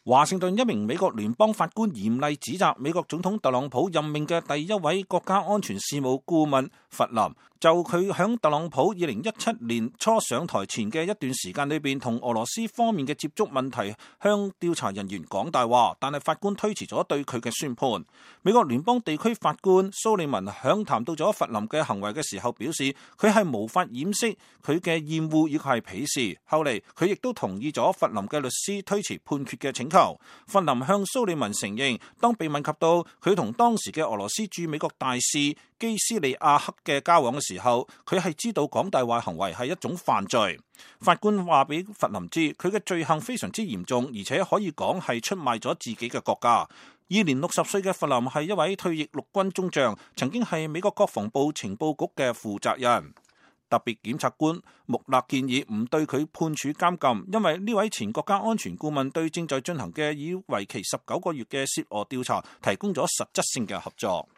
華盛頓一名美國聯邦法官嚴厲指責美國總統特朗普任命嘅第一位國家安全事務顧問弗林，就佢響特朗普2017年初上台前嘅一段時間裏邊同俄羅斯方面嘅接觸問題，向調查人員講大話，但係法官推遲咗對佢嘅宣判。美國聯邦地區法官蘇利文響談到咗弗林嘅行為嘅時候表示，佢係無法掩飾佢嘅厭惡以及係鄙視。後嚟佢亦都同意咗弗林嘅律師推遲判決嘅請求。弗林向蘇利文承認，當被問及到佢同當時嘅俄羅斯駐美國大使基斯利亞克嘅交往嘅時候，佢係知道講大話行為係一種犯罪。法官話俾弗林知，佢嘅罪行非常之嚴重，而且可以講係出賣咗自己嘅國家。現年60歲嘅弗林係一位退役陸軍中將，曾經係美國國防部情報局嘅負責人。特別檢察官穆勒建議唔對佢判處監禁，因為呢位前國家安全顧問對正在進行嘅以為期19個月嘅涉俄調查提供咗實質性嘅合作。